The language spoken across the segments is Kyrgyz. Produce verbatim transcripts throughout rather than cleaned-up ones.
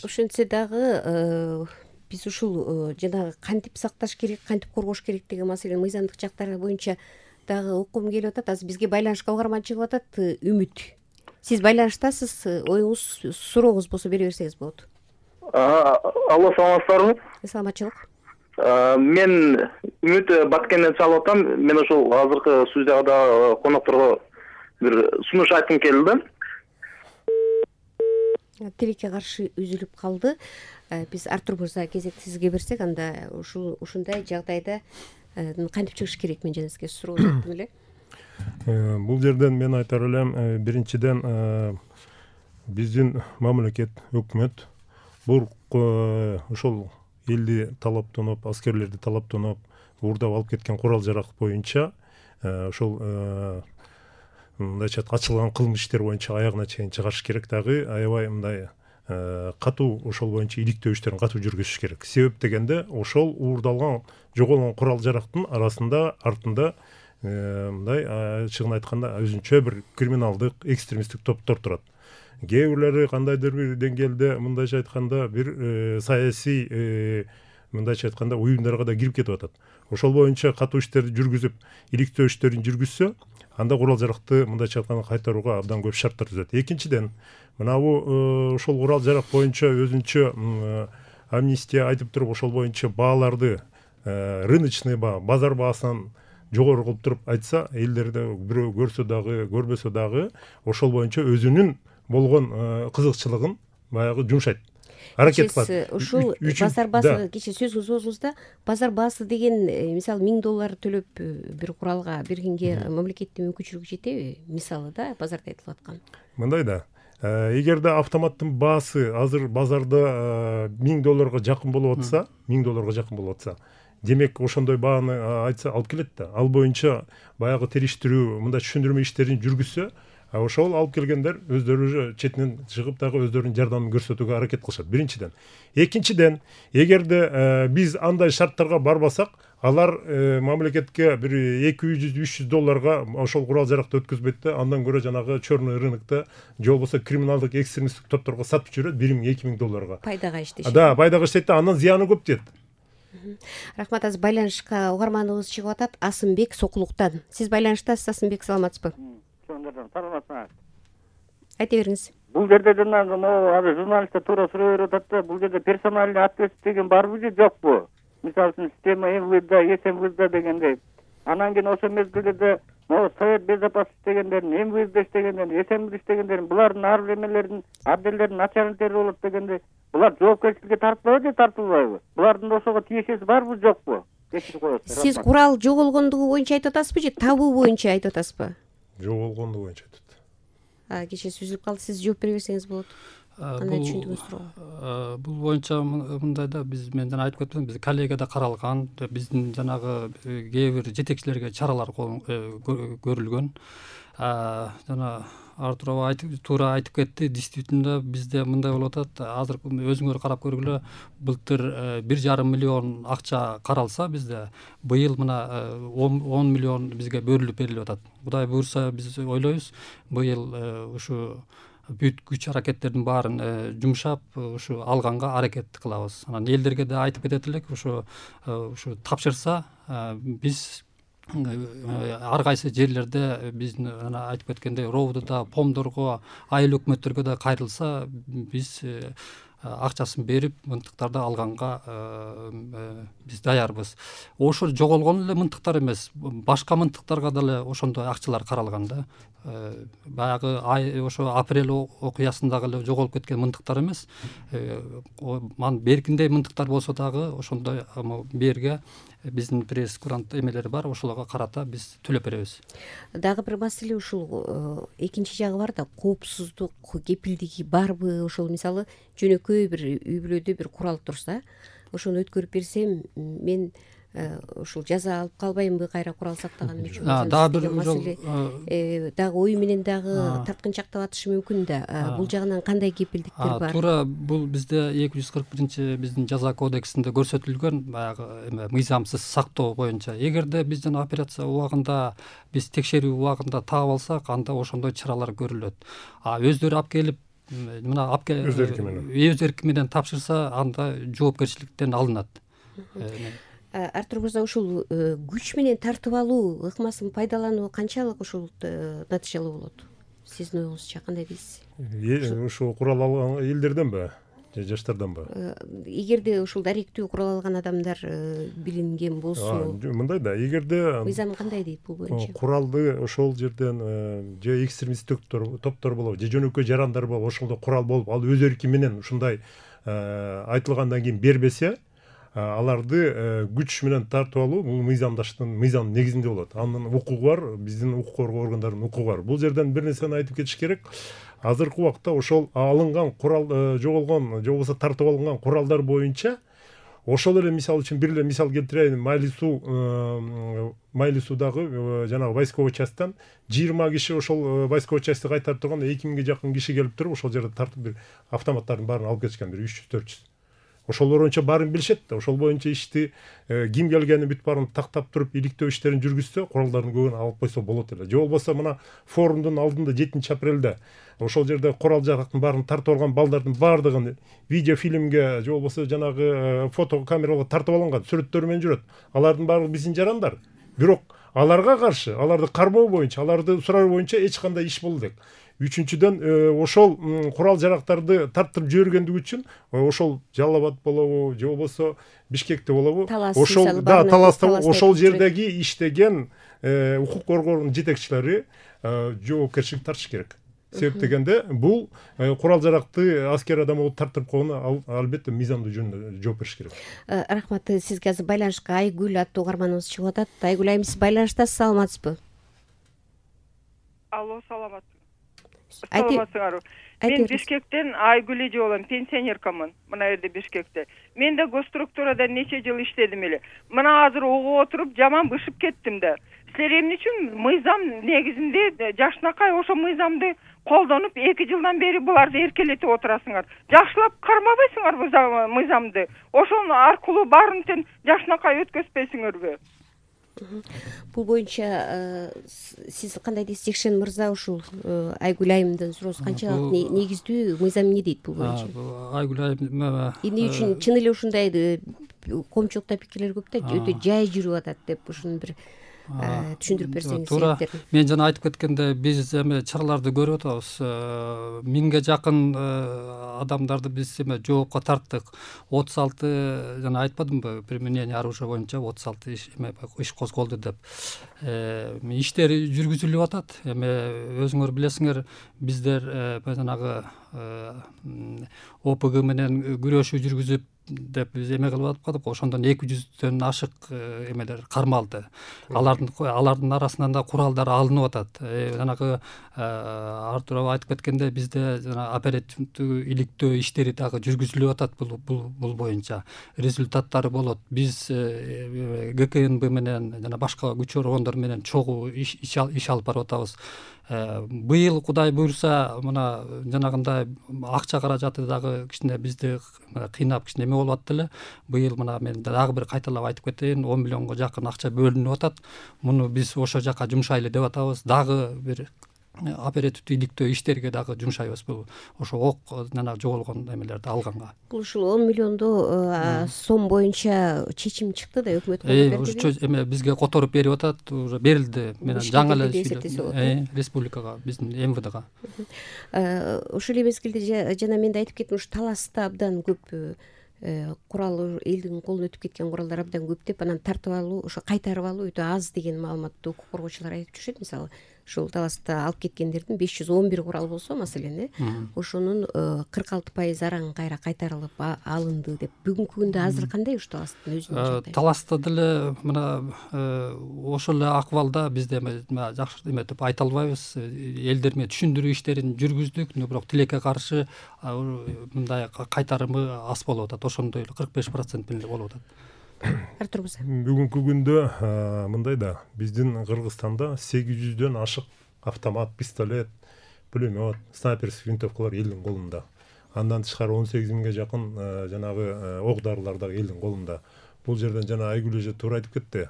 Ошентсе дагы биз ушул жанагы кантип сакташ керек, кантип коргош керек деген маселе мыйзамдык жактары боюнча дагы окугум келип атат. Азыр бизге байланышка угарман чыгып атат. Үмүт, сиз байланыштасыз, оюңуз, сурооңуз болсо бере берсеңиз болот. Алло, саламатсыздарбы? Саламатчылык. Мен Үмүт Баткенден чалып атам. Мен ошол азыркы студияда конокторго бир сунуш айткым келди. Тилекке каршы үзүлүп калды. Биз Артур мырза кезекти сизге берсек, анда ушул ушундай жагдайда кантип чыгыш керек, мен жана сизге суроо жеттим эле. Бул жерден мен айтар элем, биринчиден биздин мамлекет, өкмөт бул ошол элди талаптанып, аскерлерди талаптанып, уурдап алып кеткен курал жарак боюнча ошол мындайча ачылган кылмыш иштер боюнча аягына чейин чыгарыш керек, дагы аябай мындай катуу ошол боюнча иликтөө иштерин катуу жүргүзүш керек. Себеп дегенде ошол уурдалган, жоголгон курал жарактын арасында, артында мындай ачыгын айтканда өзүнчө бир криминалдык, экстремисттик топтор турат. Кээ бирлери кандайдыр бир деңгээлде мындайча айтканда бир саясий мындайча айтканда уюмдарга да кирип кетип атат. Ошол боюнча катуу иштерди жүргүзүп, иликтөө иштерин жүргүзсө, анда курал жаракты мындайча айтканда кайтарууга абдан көп шарттар түзөт. Экинчиден, мына бул ошол курал жарак боюнча өзүнчө амнистия айтып туруп, ошол боюнча бааларды рыночный баа, базар баасынан жогору кылып туруп айтса, элдерде бирөө көрсө дагы, көрбөсө дагы ошол боюнча өзүнүн болгон кызыкчылыгын баягы жумшайт. Аракет кылат. Ушул базар баасы, кечээ сөзүңүз болсоңузда, базар баасы деген мисалы миң доллар төлөп бир куралга бергенге мамлекеттин мүмкүнчүлүгү жетеби? Мисалы да базарда айтылып аткан. Мындай да, эгерде автоматтын баасы азыр базарда миң долларга жакын болуп атса, миң долларга жакын болуп атса, демек ошондой бааны айтса алып келет да. Ал боюнча баягы териштирүү, мындай түшүндүрмө иштерин жүргүзсө, ошол алып келгендер өздөрү четинен чыгып дагы өздөрүнүн жардамын көрсөтүүгө аракет кылышат. Биринчиден. Экинчиден, эгерде биз андай шарттарга барбасак, алар мамлекетке бир эки жүз үч жүз долларга ошол курал жаракты өткөзбөйт да, андан көрө жанагы черный рынокто же болбосо криминалдык экстремисттик топторго сатып жүрөт бир миң эки миң долларга. Пайдага иштешет. Да, пайдага иштейт да, андан зыяны көп дейт. Рахмат. Азыр байланышка угарманыбыз чыгып атат. Асымбек Сокулуктан. Сиз байланыштасыз, Асымбек, саламатсызбы? Саламатсызбы. Айта бериңиз. Бул жерде жанагы азыр журналисттер туура суроо берип атат да, бул жерде персональный ответственность деген барбы же жокпу? Мисалы үчүн система МВД, СМВД дегендей. Анан кийин ошол мезгилде могу Совет безопасности дегендерин, МВД иштегендерин, СМВД иштегендерин, булардын ар бир эмелердин, отделдердин начальниктери болот дегендей. Булар жоопкерчиликке тартылабы же тартылбайбы? Булардын ошого тиешеси барбы жокпу? Сиз курал жоголгондугу боюнча айтып атасызбы же табуу боюнча айтып атасызбы? Жоголгондугу боюнча айтып атат. Кечээ үзүлүп калды, сиз жооп бере берсеңиз болот. Кандай түшүндүгүңүз суроо? Бул боюнча мындай да, биз мен жана айтып кеттим, биз коллегияда каралган, биздин жанагы кээ бир жетекчилерге чаралар көрүлгөн. Жана Артур айтып, туура айтып кетти. Действительно бизде мындай болуп атат. Азыр өзүңөр карап көргүлө, былтыр бир жарым миллион акча каралса бизде, быйыл мына он миллион бизге бөлүнүп берилип атат. Кудай буйрса биз ойлойбуз, быйыл ушу бүт күч аракеттердин баарын жумшап, ушу алганга аракет кылабыз. Анан элдерге да айтып кетет элек, ушу ушу тапшырса, биз ар кайсы жерлерде биздин ана айтып кеткендей ровдуда, помдорго, айыл өкмөттөргө да кайрылса, биз акчасын берип, мынтыктарды алганга биз даярбыз. Ошо жоголгон эле мынтыктар эмес, башка мынтыктарга дагы ошондой акчалар каралган да. Баягы ошо апрель окуясындагы эле жоголуп кеткен мынтыктар эмес. Ман беркиндей мынтыктар болсо дагы ошондой берге биздин пресс-курант эмелери бар, ошолорго карата биз төлөп беребиз. Дагы бир маселе ушул экинчи жагы бар да, коопсуздук кепилдиги барбы? Ошол мисалы жөнөкөй бир үй бүлөдө бир курал турса, ошону өткөрүп берсем, мен ушул жаза алып калбаймынбы кайра курал сактаганым үчүн? Дагы бир маселе, дагы ою менен дагы тарткынчактап атышы мүмкүн да. Бул жагынан кандай кепилдиктер бар? Туура, бул бизде эки жүз кырк биринчи биздин жаза кодексинде көрсөтүлгөн баягы мыйзамсыз сактоо боюнча. Эгерде биз жана операция убагында, биз текшерүү убагында таап алсак, анда ошондой чаралар көрүлөт. А өздөрү алып келип мына апке өз эрки менен өз эрки менен тапшырса анда жоопкерчиликтен алынат. Артур мырза, ушул күч менен тартып алуу ыкмасын пайдалануу канчалык ушул натыйжалуу болот? Сиздин оюңузча кандай дейсиз? Ушул курал алган элдерденби же жаштарданбы? Эгерде ушул даректүү курал алган адамдар билинген болсо, мындай да, эгерде мыйзам кандай дейт бул боюнча? Куралды ошол жерден же экстремисттик топтор болобу, же жөнөкөй жарандар болобу, ошолдо курал болуп, ал өз эрки менен ушундай айтылгандан кийин бербесе, аларды күч менен тартып алуу бул мыйзамдаштын мыйзам негизинде болот. Анын укугу бар, биздин укук коргоо органдарынын укугу бар. Бул жерден бир нерсени айтып кетиш керек. Азыркы убакта ошол алынган курал, жоголгон же болбосо тартып алынган куралдар боюнча ошол эле мисал үчүн бир эле мисал келтирейин. Майли суу Майли суудагы жанагы войсковой частьтан жыйырма киши ошол войсковой частьти кайтарып турганда эки миңге жакын киши келип туруп ошол жерде тартып бир автоматтардын баарын алып кетишкен, бир үч жүз төрт жүз. Ошол боюнча баарын билишет да. Ошол боюнча ишти ким келгени бүт баарын тактап туруп иликтөө иштерин жүргүзсө, куралдардын көбүн алып койсо болот эле. Же болбосо мына форумдун алдында жетинчи апрелде ошол жерде курал жарактын баарын тартып алган балдардын баардыгын видеофильмге же болбосо жанагы фото камераларга тартып алынган, сүрөттөрү менен жүрөт. Алардын баары биздин жарандар. Бирок аларга каршы, аларды кармоо боюнча, аларды суроо боюнча эч кандай иш болду элек. Үчүнчүдөн ошол курал жарактарды тарттырып жибергендиги үчүн ошол Жалал Абад болобу же болбосо Бишкекте болобу, ошол да Таласта ошол жердеги иштеген укук коргоонун жетекчилери жоопкерчилик тартыш керек. Себеп дегенде бул курал жаракты аскер адам болуп тартып койгону албетте мыйзамдуу жөнүндө жооп бериш керек. Рахмат. Сизге азыр байланышка Айгүл аттуу угарманыбыз чыгып атат. Айгүл айым, сиз байланыштасыз, саламатсызбы? Алло, саламатсызбы? Саламатсыңарбы? Мен Бишкектен Айгүл эже болом, пенсионеркамын. Мына жерде Бишкекте. Мен да госструктурада нече жыл иштедим эле. Мына азыр угуп отуруп жаман бышып кеттим да. Силер эмне үчүн мыйзам негизинде жашынакай ошо мыйзамды колдонуп эки жылдан бери буларды эркелетип отурасыңар? Жакшылап кармабайсыңарбы мыйзамды? Ошол аркылуу баарын тең жашынакай өткөзбөйсүңөрбү? Бул боюнча сиз кандай дейсиз, Жекшен мырза? Ушул Айгүл айымдын суроосу канчалык негиздүү, мыйзам эмне дейт бул боюнча? Айгүл айым эмне үчүн чын эле ушундай коомчулукта пикирлер көп да, өтө жай жүрүп атат деп ушуну бир түшүндүрүп берсеңиз. Туура. Мен жана айтып кеткенде биз эме чараларды көрүп атабыз. Миңге жакын адамдарды биз эме жоопко тарттык. отуз алты жана айтпадымбы, применение оружия боюнча отуз алты иш эме иш козголду деп. Иштер жүргүзүлүп атат. Эме өзүңөр билесиңер, биздер жанагы О П Г менен күрөшүү жүргүзүп деп биз эме кылып аткандык. Ошондон эки жүздөн ашык эмелер кармалды. Алардын алардын арасынан да куралдар алынып атат. Жанагы Артур айтып кеткенде бизде жана оперативдүү иликтөө иштери дагы жүргүзүлүп атат бул бул боюнча. Результаттары болот. Биз Г К Н Б менен жана башка күч органдар менен чогуу иш иш алып барып атабыз. Быйыл Кудай буйрса мына жанагындай акча каражаты дагы кичине бизди кыйнап кичине эме болуп атты эле. Быйыл мына мен дагы бир кайталап айтып кетейин, он миллионго жакын акча бөлүнүп атат. Муну биз ошол жака жумшайлы деп атабыз. Дагы бир оперативдүү иликтөө иштерге дагы жумшайбыз. Бул ошо ок жана жоголгон эмелерди алганга. Бул ушул он миллиондо сом боюнча чечим чыкты да, өкмөт ошо эме бизге которуп берип атат, уже берилди. Мен жаңы эле республикага, биздин М В Дга. Ошол эле мезгилде жана мен да айтып кеттим, ушу Таласта абдан көп курал, элдин колуна өтүп кеткен куралдар абдан көп деп, анан тартып алуу, ошо кайтарып алуу өтө аз деген маалыматты укук коргоочулар айтып жүрүшөт. Мисалы, ушул Таласта алып кеткендердин беш жүз он бир курал болсо, маселен, э, ошонун кырк алты пайызы араң кайра кайтарылып алынды деп. Бүгүнкү күндө азыр кандай ушу Таластын өзүнүн жагдайы? Таласта деле мына ошол эле акыбалда бизде жакшы эме деп айта албайбыз. Элдер менен түшүндүрүү иштерин жүргүздүк, бирок тилекке каршы мындай кайтарымы аз болуп атат. Ошондой эле кырк беш процент менен болуп атат. Артур мырза. Бүгүнкү күндө мындай да, биздин Кыргызстанда сегиз жүздөн ашык автомат, пистолет, пулемет, снайперский винтовкалар элдин колунда. Андан тышкары он сегиз миңге жакын жанагы ок дарылар дагы элдин колунда. Бул жерден жана Айгүл эже туура айтып кетти.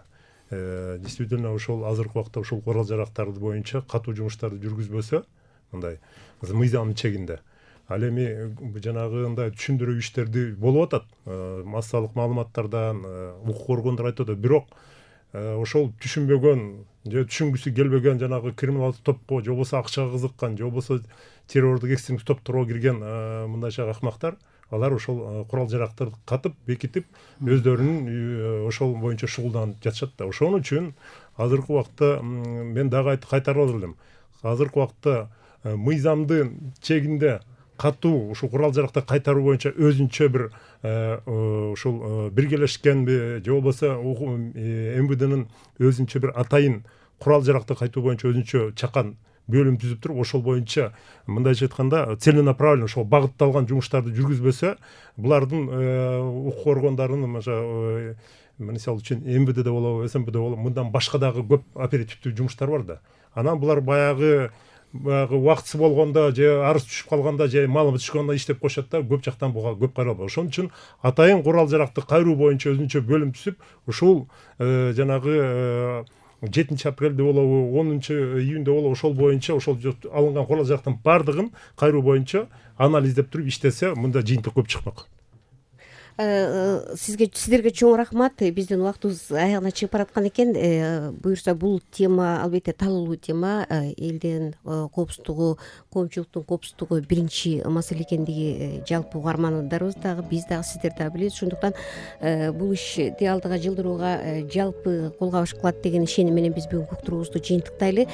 Действительно ошол азыркы убакта ушул курал жарактарды боюнча катуу жумуштарды жүргүзбөсө, мындай мыйзамдын чегинде Ал эми жанагындай түшүндүрүү иштерди болуп атат массалык маалыматтардан, укук органдары айтып атат. Бирок ошол түшүнбөгөн же түшүнгүсү келбеген жанагы криминалдык топко же болбосо акчага кызыккан же болбосо террордук экстремисттик топторго кирген мындайча акмактар, алар ошол курал жарактарды катып бекитип өздөрүнүн ошол боюнча шугулданып жатышат да. Ошон үчүн азыркы убакта мен дагы кайтарып алып элем. Азыркы убакта мыйзамдын чегинде катуу ушул курал жарактар кайтаруу боюнча өзүнчө бир ушул биргелешкенби же болбосо эм вэ дэнин өзүнчө бир атайын курал жаракты кайтуу боюнча өзүнчө чакан бөлүм түзүп туруп, ошол боюнча мындайча айтканда целенаправленно ошол багытталган жумуштарды жүргүзбөсө, булардын укук органдарынын мисалы үчүн эм вэ дэ болобу, эс эм бэ дэ болобу, мындан башка дагы көп оперативдүү жумуштар бар да. Анан булар баягы баягы убактысы болгондо же арыз түшүп калганда же маалымат түшкөндө иштеп коюшат да, көп жактан буга көп каралбайт. Ошон үчүн атайын курал жаракты кайруу боюнча өзүнчө бөлүм түзүп, ушул жанагы жетинчи апрелде болобу, онунчу июньда болобу, ошол боюнча ошол алынган курал жарактын баардыгын кайруу боюнча анализдеп туруп иштесе, мында жыйынтык көп чыкмак. Сизге сиздерге чоң рахмат. Биздин убактыбыз аягына чыгып бараткан экен. Буюрса бул тема албетте талуулуу тема. Элдин коопсуздугу, коомчулуктун коопсуздугу биринчи маселе экендиги жалпы угармандарыбыз дагы, биз дагы, сиздер дагы билебиз. Ошондуктан бул ишти алдыга жылдырууга жалпы колго алыш кылат деген ишеним менен биз бүгүнкү уктуруубузду жыйынтыктайлы.